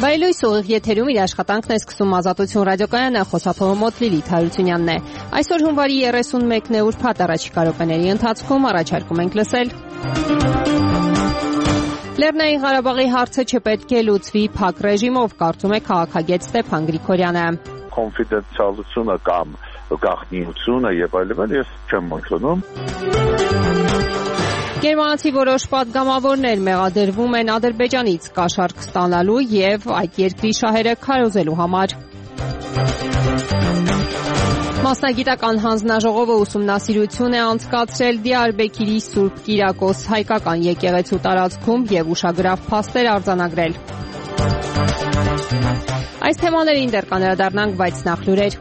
Բայլույս ուղիղ եթերում իր աշխատանքն է սկսում Ազատություն ռադիոկայանը, խոսափողը մոտ Լիլիթ Հարությունյանն է։ Այսօր հունվարի 31-ն է ուրբաթ, առաջիկա րոպեների ընթացքում առաջարկում ենք լսել. Լեռնային Ղարաբաղի հարցը չպետք է լուծվի փակ ռեժիմով, կարծում է քաղաքագետ Ստեփան Գրիգորյանը։ Կոնֆիդենցիալությունը կամ գաղտնիությունը եւ այլն ես չեմ ընդունում։ Գերմանացի որոշ պատգամավորներ մեղադրվում են Ադրբեջանից կաշառք ստանալու եւ այդ երկրի շահերը քարոզելու համար։ Մասնագիտական հանձնաժողովը ուսումնասիրություն է անցկացրել Դիարբեկիրի Սուրբ Կիրակոս հայկական եկեղեցու տարածքում եւ ուշագրավ փաստեր արձանագրել։ Այս թեմաներին դեռ կանդրադառնանք, բայց նախ լուրեր։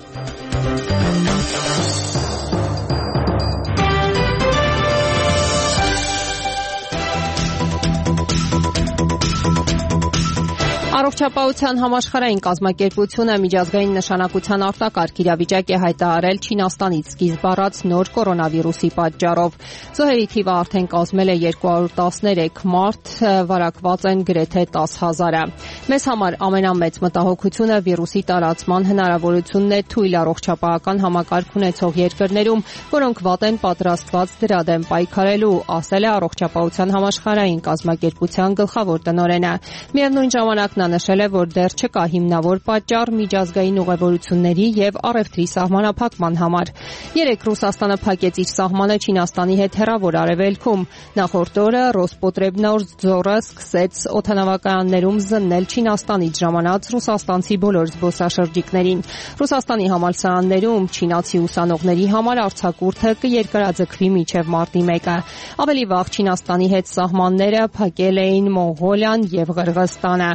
Առողջապահության համաշխարհային կազմակերպությունը միջազգային նշանակության արտակարգ իրավիճակ է հայտարարել Չինաստանից սկիզբ առած նոր կորոնավիրուսի պատճառով։ Զոհերի թիվը արդեն կազմել է 213 մարդ, վարակված են գրեթե 10,000-ը։ Մեզ համար ամենամեծ մտահոգությունը վիրուսի տարածման հնարավորությունն է թույլ առողջապահական համակարգ ունեցող երկրներում, որոնք վատ են պատրաստված դրա դեմ պայքարելու, ասել է Առողջապահության համաշխարհային կազմակերպության գլխավոր տնօրենը։ Միևնույն ժամանակ նա նշել է, որ դեռ չկա հիմնավոր պատճառ միջազգային ուղևորությունների եւ առևտրի սահմանափակման համար։ Երեկ Ռուսաստանը փակեց իր սահմանը Չինաստանի հետ հեռավոր արևելքում։ Նախորդ օրը Ռոսպոտրեբնadzորը սկսեց օդանավակայաններում զննել Չինաստանից ժամանած ռուսաստանցի բոլոր զբոսաշրջիկներին։ Ռուսաստանի համալսարաններում չինացի ուսանողների համար արձակուրդը կերկարաձգվի մինչև մարտի 1-ը։ Ավելի վաղ Չինաստանի հետ սահմանները փակել էին Մոնղոլիան եւ Ղրղըզստանը։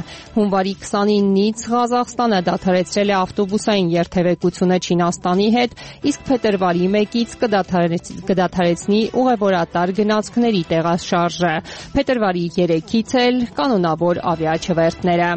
Հունվարի 29-ից Ղազախստանը դադարեցրել է ավտոբուսային երթևեկությունը Չինաստանի հետ, իսկ փետրվարի 1-ից կդադարեցնի ուղևորատար գնացքների տեղաշարժը։ Փետրվարի 3-ից էլ կանոնավոր ավիաչվերթները։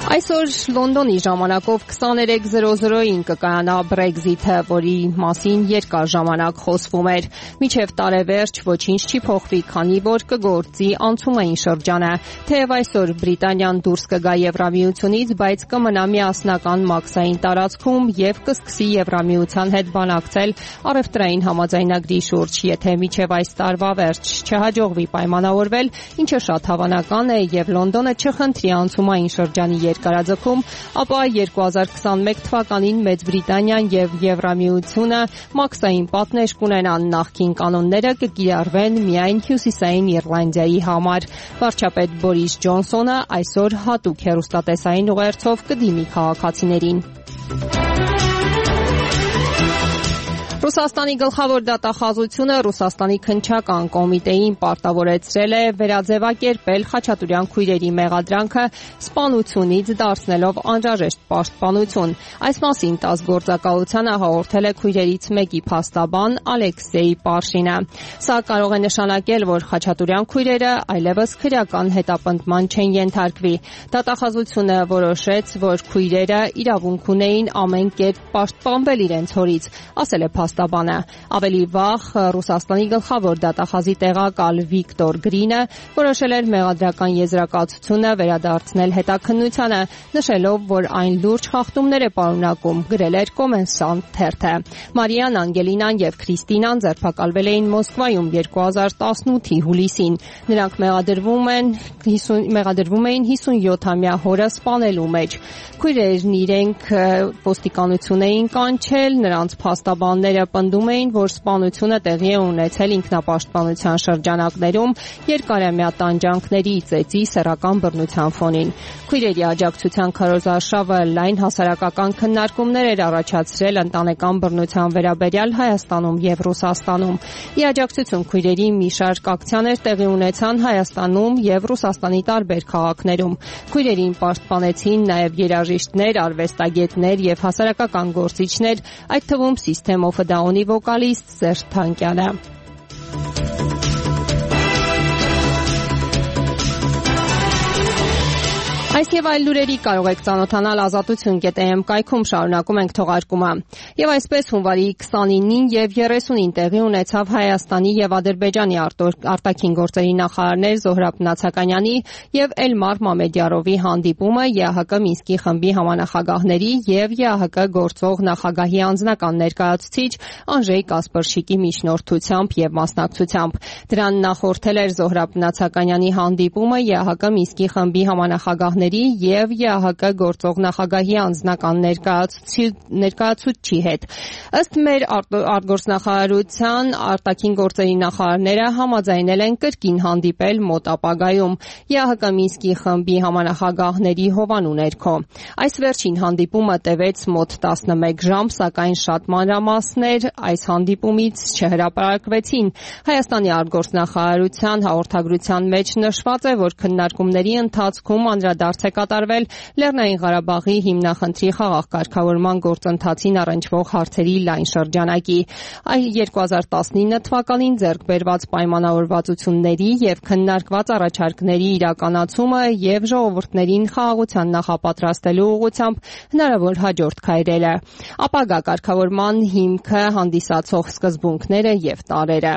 Այսօր Լոնդոնի ժամանակով 23:00-ին կկայանա Brexit-ը, որի մասին երկար ժամանակ խոսվում էր։ Մինչև տարեվերջ ոչինչ չի փոխվի, քանի որ կգործի անցումային շրջանը։ Թեև այսօր Բրիտանիան դուրս կգա Եվրամիությունից, բայց կմնա միասնական մաքսային տարածքում եւ կսկսի Եվրամիության հետ բանակցել առևտրային համաձայնագրի շուրջ, եթե մինչև այս տարվա վերջ չհաջողվի պայմանավորվել, ինչը շատ հավանական է եւ Լոնդոնը չխնդրի անցումային շրջանի կարաձգում, ապա 2021 թվականին Մեծ Բրիտանիան եւ Եվրամիությունը մաքսային պատնեշ կունենան, նախկին կանոնները կկիրառվեն միայն Հյուսիսային Իռլանդիայի համար։ Վարչապետ Բորիս Ջոնսոնը այսօր հատուկ հեռուստատեսային ուղերձով կդիմի քաղաքացիներին։ Ռուսաստանի գլխավոր դատախազությունը Ռուսաստանի քննչական կոմիտեին պարտավորեցրել է վերաձևակերպել Խաչատուրյան քույրերի մեղադրանքը սպանությունից դարձնելով անհրաժեշտ պաշտպանություն։ Այս մասին ՏԱՍՍ գործակալությանը հաղորդել է քույրերից մեկի փաստաբան Ալեքսեյ Պարշինը։ Սա կարող է նշանակել, որ Խաչատուրյան քույրերը այլևս քրեական հետապնդման չեն ենթարկվի։ Դատախազությունը որոշեց, որ քույրերը իրավունք ունեին ամեն կերպ պաշտպանվել իրենց հորից, ասել է փաստաբանը։ Ավելի վաղ Ռուսաստանի գլխավոր դատախազի տեղակալ Վիկտոր Գրինը որոշել էր մեղադրական եզրակացությունը վերադարձնել հետաքննությանը, նշելով, որ այն լուրջ խախտումներ է պարունակում, գրել էր Կոմենսանտ թերթը։ Մարիան, Անգելինան եւ Քրիստինան ձերբակալվել էին Մոսկվայում 2018-ի հուլիսին։ Նրանք մեղադրվում էին 57-ամյա հորը սպանելու մեջ։ Քույրերն իրենք ոստիկանություն էին կանչել, նրանց փաստաբանները պնդում էին, որ սպանությունը տեղի է ունեցել ինքնապաշտպանության շրջանակներում երկարամյա տանջանքների, ծեծի, սեռական բռնության ֆոնին։ Քույրերի աջակցության քարոզարշավը լայն հասարակական քննարկումներ էր առաջացրել ընտանեկան բռնության վերաբերյալ Հայաստանում եւ Ռուսաստանում։ Ի աջակցություն քույրերի մի շարք ակցիաներ տեղի ունեցան Հայաստանում եւ Ռուսաստանի տարբեր քաղաքներում։ Քույրերին պաշտպանեցին նաեւ երաժիշտներ, արվեստագետներ եւ հասարակական գործիչներ, այդ թվում System of a Down-ի վոկալիստ Սերժ Թանկյանը։ Այս եւ այլ լուրերի կարող եք ծանոթանալ ազատություն.am կայքում, շարունակում ենք թողարկումը։ Եվ այսպես հունվարի 29-ին եւ 30-ին տեղի ունեցավ Հայաստանի եւ Ադրբեջանի արտաքին գործերի նախարարներ Զոհրաբ Նացականյանի եւ Էլմար Մամեդյարովի հանդիպումը ԵԱՀԿ Մինսկի խմբի համանախագահների եւ ԵԱՀԿ գործող նախագահի անձնական ներկայացուցիչ Անժեյ Կասպրշիկի միջնորդությամբ եւ մասնակցությամբ։ Դրան նախորդել էր Զոհրաբ Նացականյանի հանդիպումը ԵԱՀԿ Մինսկի խմբի համանախագահների եւ ԵԱՀԿ գործող նախագահի անձնական ներկայացուցչի հետ։ Ըստ մեր արտգործնախարարության արտաքին գործերի նախարարները համաձայնել են կրկին հանդիպել մոտ ապագայում ԵԱՀԿ Մինսկի խմբի համանախագահների հովանու ներքո։ Այս վերջին հանդիպումը տևեց մոտ 11 ժամ, սակայն շատ մանրամասներ այս հանդիպումից չհրապարակվեցին։ Հայաստանի արտգործնախարարության հաղորդագրության մեջ նշված է, որ քննարկումների ընթացքում անդրադարձ է կատարվել Լեռնային Ղարաբաղի հիմնախնդրի խաղաղ կարգավորման գործընթացին առնչվող հարցերի լայն շրջանակի։ 2019 թվականին ձեռք բերված պայմանավորվածությունների եւ քննարկված առաջարկների իրականացումը եւ ժողովուրդներին խաղաղության նախապատրաստելու ուղղությամբ հնարավոր հաջորդ քայլերը, ապագա կարգավորման հիմքը հանդիսացող սկզբունքները եւ տարրերը։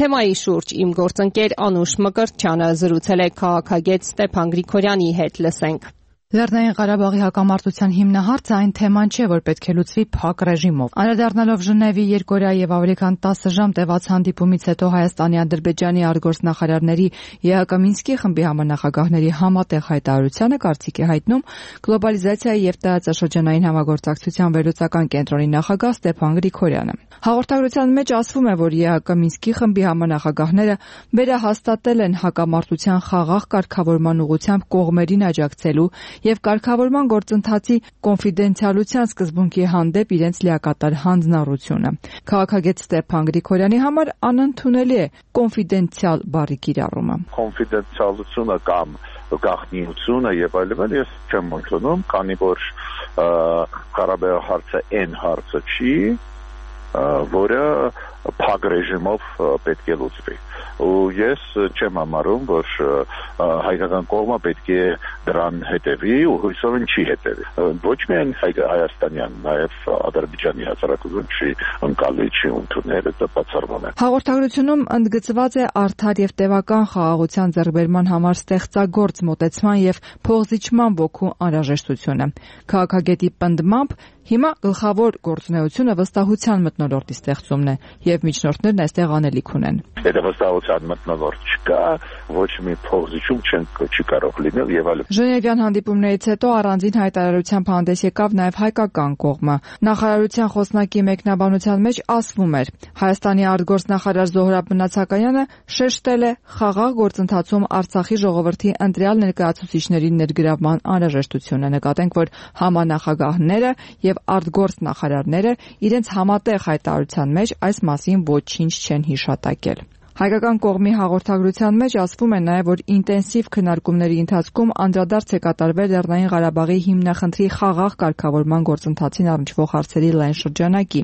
Թեմայի շուրջ իմ գործընկեր Անուշ Մկրտչյանը զրուցել է քաղաքագետ Ստեփան Գրիգորյանի հետ։ Լսենք։ Լեռնային Ղարաբաղի հակամարտության հիմնահարցը այն թեման չէ, որ պետք է լուծվի փակ ռեժիմով։ Անդրադառնալով Ժնևի 2 եւ ավելի քան 10 ժամ տևած հանդիպումից հետո Հայաստանի, Ադրբեջանի արտգործնախարարների ԵԱՀԿ Մինսկի խմբի համանախագահների համատեղ հայտարարությանը կարծիք է հայտնում գլոբալիզացիայի եւ տարածաշրջանային համագործակցության վերլուծական կենտրոնի նախագահ Ստեփան Գրիգորյանը։ Հաղորդագրության մեջ ասվում է, որ ԵԱՀԿ Մինսկի խմբի համանախագահները վերահաստատել են հակամարտության խաղաղ կարգավորման ուղղությամբ կողմերին աջակցելու եւ կարգավորման գործընթացի կոնֆիդենցիալության սկզբունքի հանդեպ իրենց լիակատար հանձնառությունը։ Քաղաքագետ Ստեփան Գրիգորյանի համար անընդունելի է կոնֆիդենցիալ բառի կիրառումը։ Կոնֆիդենցիալությունը կամ գաղտնիությունը եւ այլն ես չեմ ընդունում, քանի որ Ղարաբաղի հարցը այն հարցը չի, որը փակ ռեժիմով պետք է լուծվի։ Ու ես չեմ համարում, որ հայկական կողմը պետք է դրան հետևի ու հույսով չի հետևի։ Ոչ միայն հայաստանյան, նաև Ադրբեջանի հասարակությունը չի ընկալի, չի ընդունել, դա բացառվում է։ Հաղորդագրությունում ընդգծված է արդար եւ տևական խաղաղության ձեռքբերման համար ստեղծագործ մոտեցման եւ փոխզիջման ոգու անհրաժեշտությունը։ Քաղաքագետի պնդմամբ հիմա գլխավոր գործունեությունը վստահության մթնոլորտի ստեղծումն է եւ միջնորդներն այստեղ անելիք ունեն։ Եթե վստահության մթնոլորտ չկա, ոչ մի փոխզիջում չի կարող լինել եւ այլն։ Ժնևյան հանդիպումներից հետո առանձին հայտարարությամբ հանդես եկավ նաեւ հայկական կողմը։ Նախարարության խոսնակի մեկնաբանության մեջ ասվում էր. Հայաստանի արտգործնախարար Զոհրաբ Նացականյանը շեշտել է խաղաղ գործընթացում Արցախի ժողովրդի ընտրյալ ներկայացուցիչների ներգրավման անհրաժեշտությունը։ Նկատենք, որ համանախագահները եւ արտգործնախարարները իրենց համատեղ հայտարարության մեջ այս մասին ոչինչ չեն հիշատակել։ Հայկական կողմի հաղորդագրության մեջ ասվում է նաև, որ ինտենսիվ քննարկումների ընթացքում անդրադարձ է կատարվել Լեռնային Ղարաբաղի հիմնախնդրի խաղաղ կարգավորման գործընթացին առնչվող հարցերի լայն շրջանակի,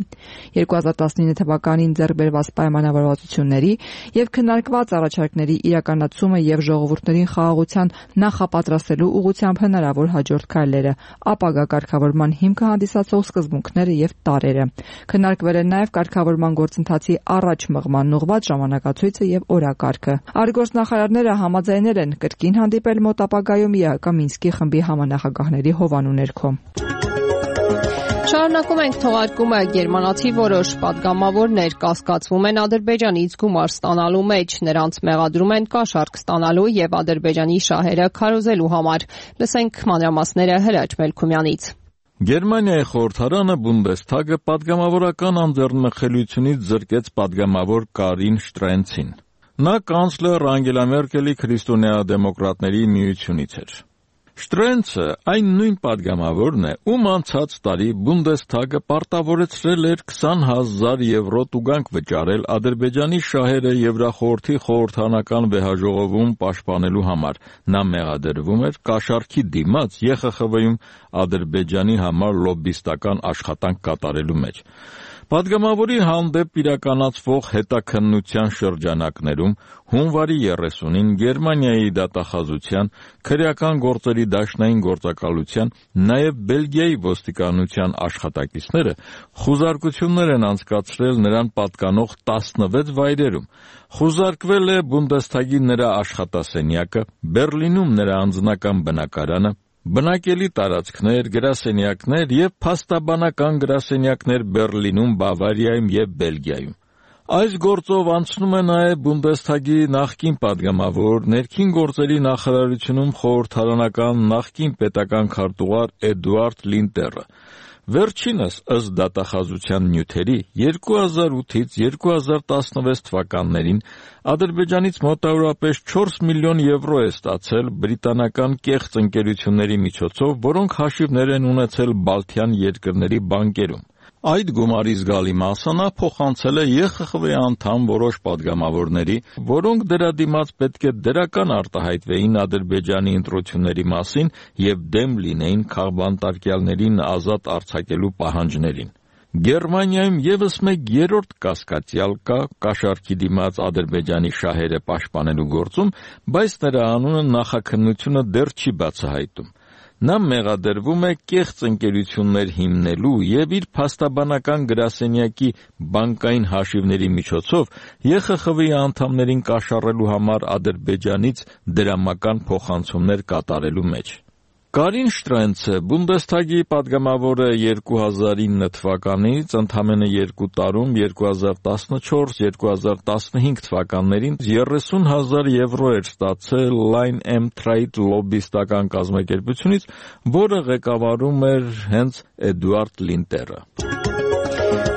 2019 թվականին ձեռք բերված պայմանավորվածությունների եւ քննարկված առաջարկների իրականացումը եւ ժողովուրդներին խաղաղության նախապատրաստելու ուղղությամբ հնարավոր հաջորդ քայլերը, ապագա կարգավորման հիմքը հանդիսացող սկզբունքները եւ տարրերը։ Քննարկվել են նաև կարգավորման գործընթացի առաջ մղման ուղղված ժամանակացույց եւ օրակարգը։ Արտգործնախարարները համաձայնել են կրկին հանդիպել մոտ ապագայում ԵԱՀԿ Մինսկի խմբի համանախագահների հովանու ներքո։ Շարունակում ենք թողարկումը։ Գերմանացի որոշ պատգամավորներ կասկածվում են Ադրբեջանից գումար ստանալու մեջ, նրանց մեղադրում են կաշառք ստանալու եւ Ադրբեջանի շահերը քարոզելու համար։ Լսենք մանրամասները Հրաչ Մելքումյանից։ Գերմանիայի խորհրդարանը Բունդեսթագը պատգամավորական անձեռնմխելիությունից զրկեց պատգամավոր Կարին Շտրենցին։ Նա կանցլեր Անգելա Մերկելի քրիստոնեա-դեմոկրատների միությունից էր։ Շտրենցը այն նույն պատգամավորն է, ում անցած տարի Բունդեսթագը պարտավորեցրել էր 20,000 եվրո տուգանք վճարել Ադրբեջանի շահերը Եվրախորհրդի խորհրդանական վեհաժողովում պաշտպանելու համար։ Նա մեղադրվում էր կաշառքի դիմաց ԵԽԽՎ-ում Ադրբեջանի համար լոբբիստական աշխատանք կատարելու մեջ։ Պատգամավորի հանդեպ իրականացվող հետաքննության շրջանակներում հունվարի 30-ին Գերմանիայի դատախազության, քրեական գործերի դաշնային գործակալության, նաև Բելգիայի ոստիկանության աշխատակիցները խուզարկություններ են անցկացրել նրան պատկանող 16 վայրերում։ Խուզարկվել է Բունդեսթագի նրա աշխատասենյակը, Բերլինում նրա անձնական բնակարանը, բնակելի տարածքներ, գրասենյակներ և փաստաբանական գրասենյակներ Բերլինում, Բավարիայում և Բելգիայում։ Այս գործով անցնում է նաև Բունդեսթագի նախկին պատգամավոր, ներքին գործերի նախարարությունում խորհրդարանական նախկին պետական քարտուղար Էդուարդ Լինտերը։ Վերջինս, ըստ դատախազության նյութերի, 2008-ից 2016 թվականներին Ադրբեջանից մոտավորապես 4 միլիոն եվրո է ստացել բրիտանական կեղծ ընկերությունների միջոցով, որոնք հաշիվներ են ունեցել Բալթյան երկրների բանկերում։ Այդ գումարի զգալի մասը նա փոխանցել է ԵԽԽՎ անդամ որոշ պատգամավորների, որոնք դրա դիմաց պետք է դրական արտահայտվեին Ադրբեջանի ընտրությունների մասին և դեմ լինեին քաղբանտարկյալներին ազատ արձակելու պահանջներին։ Գերմանիայում ևս մեկ երրորդ կասկածյալ կա կաշառքի դիմաց Ադրբեջանի շահերը պաշտպանելու գործում, բայց նրա անունը նախաքննությունը դեռ չի բացահայտում։ Նա մեղադրվում է կեղծ ընկերություններ հիմնելու և իր փաստաբանական գրասենյակի բանկային հաշիվների միջոցով ԵԽԽՎ անդամներին կաշառելու համար Ադրբեջանից դրամական փոխանցումներ կատարելու մեջ։ Կարին Շտրենցը Բունդեսթագի պատգամավորը 2009 թվականից ընդամենը 2 տարում 2014-2015 թվականներին 30,000 եվրո էր ստացել Line M Trade լոբբիստական կազմակերպությունից, որը ղեկավարում էր հենց Էդուարդ Լինտերը։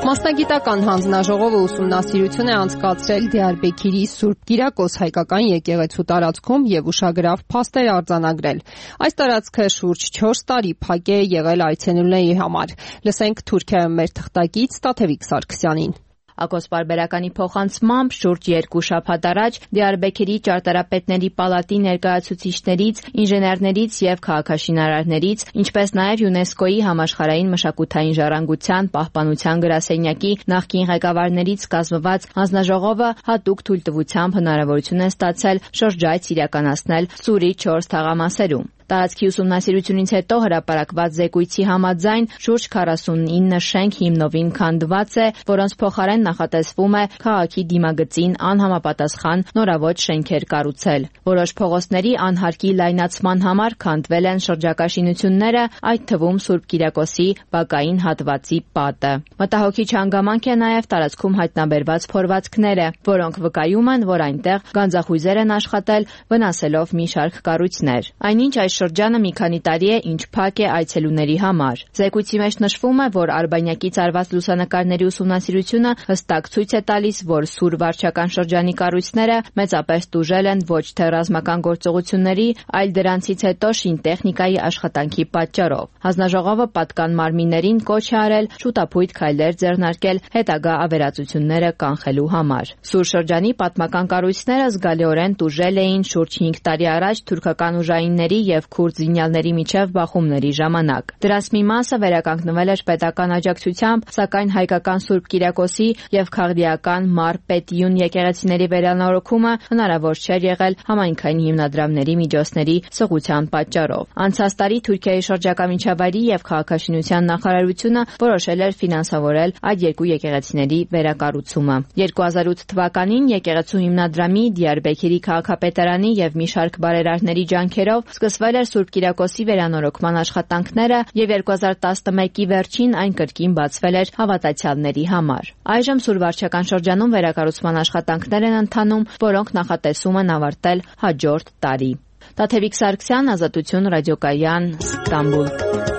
Մասնագիտական հանձնաժողովը ուսումնասիրություն է անցկացրել Դիարբեքիրի Սուրբ Կիրակոս հայկական եկեղեցու տարածքում և ուշագրավ փաստեր արձանագրել։ Այս տարածքը շուրջ 4 տարի փակ է եղել այցելուների համար։ Լսենք Թուրքիայում մեր թղթակից Տաթևիկ Սարգսյանին։ Ակոս պարբերականի փոխանցմամբ շուրջ 2 շաբաթ առաջ Դիարբեքիրի ճարտարապետների պալատի ներկայացուցիչներից, ինժեներներից և քաղաքաշինարարներից, ինչպես նաև ՅՈՒՆԵՍԿՕ-ի համաշխարհային մշակութային ժառանգության պահպանության գրասենյակի նախկին ղեկավարներից կազմված հանձնաժողովը հատուկ թույլտվությամբ հնարավորություն է ստացել շրջայց իրականացնել Սուրի 4 թաղամասերում։ Տարածքի ուսումնասիրությունից հետո հրապարակված զեկույցի համաձայն շուրջ 49 շենք հիմնովին քանդված է, որոնց փոխարեն նախատեսվում է քաղաքի դիմագծին անհամապատասխան նորավոճ շենքեր կառուցել։ Որոշ փողոցների անհարկի լայնացման համար քանդվել են շրջակա շինությունները, այդ թվում Սուրբ Կիրակոսի բակային հատվածի պատը։ Մտահոգիչ հանգամանք է նաև տարածքում հայտնաբերված փորվածքները, որոնք վկայում են, որ այնտեղ գանձախույզեր են աշխատել, վնասելով մի շարք կառույցներ։ Այնինչ այս շրջանը մի քանի տարի է, ինչ փակ է այցելուների համար։ Զեկույցի մեջ նշվում է, որ Արբանյակից արված լուսանկարների ուսումնասիրությունը հստակ ցույց է տալիս, որ Սուր վարչական շրջանի կառույցները մեծապես տուժել են ոչ թե ռազմական գործողությունների, այլ դրանցից հետո շինտեխնիկայի աշխատանքի պատճառով։ Հանձնաժողովը պատկան մարմիններին կոչ է արել շուտափույթ քայլեր ձեռնարկել հետագա ավերածությունները կանխելու համար։ Սուր շրջանի պատմական կառույցները զգալիորեն տուժել էին շուրջ 5 տարի առաջ թուրքական ուժայինների և քուրդ զինյալների միջև բախումների ժամանակ։ Դրանց մի մասը վերականգնվել էր պետական աջակցությամբ, սակայն հայկական Սուրբ Կիրակոսի և քաղդիական Մար Պետիուն եկեղեցիների վերանորոգումը հնարավոր չէր եղել համայնքային հիմնադրամների միջոցների սղության պատճառով։ Անցած տարի Թուրքիայի շրջակա միջավայրի և քաղաքաշինության նախարարությունը որոշել էր ֆինանսավորել այդ երկու եկեղեցիների վերակառուցումը։ 2008 թվականին եկեղեցու հիմնադրամի, Դիարբեքիրի քաղաքապետարանի և մի շարք բարերարների ջանքերով սկսվել էր Սուրբ Կիրակոսի վերանորոգման աշխատանքները և 2011-ի վերջին այն կրկին բացվել էր հավատացյալների համար։ Այժմ Սուր վարչական շրջանում վերակառուցման աշխատանքներ են ընթանում, որոնք նախատեսում են ավարտել հաջորդ տարի։ Տաթևիկ Սարգսյան, Ազատություն ռադիոկայան, Ստամբուլ։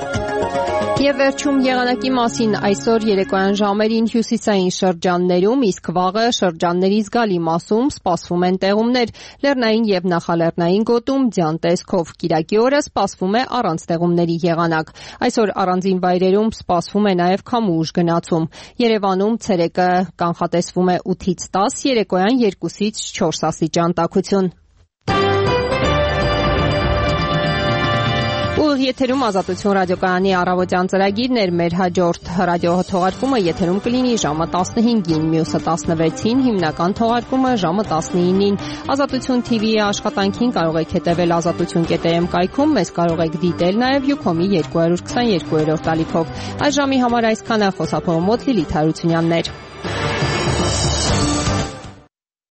Եվ վերջում եղանակի մասին այսօր երեկոյան ժամերին հյուսիսային շրջաններում, իսկ վաղը շրջանների զգալի մասում սպասվում են տեղումներ, լեռնային եւ նախալեռնային գոտում ձյան տեսքով։ Կիրակի օրը սպասվում է առանց տեղումների եղանակ։ Այսօր առանձին վայրերում սպասվում է նաեւ քամու ուժ գնացում։ Երևանում ցերեկը կանխատեսվում է 8-ից 10, երեկոյան 2-ից 4 աստիճան տաքություն։ Եթերում Ազատություն ռադիոկայանի առավոտյան ծրագիրն էր, մեր հաջորդ ռադիոթողարկումը եթերում կլինի ժամը 15-ին, մյուսը 16-ին, հիմնական թողարկումը ժամը 19-ին։ Ազատություն TV-ի աշխատանքին կարող եք հետևել azatutun.am կայքում, մեզ կարող եք դիտել նաև Յուքոմի 222-րդ ալիքով։ Այս ժամի համար այսքանը, խոսափողը մոտ Լիլիթ Հարությունյանն էր։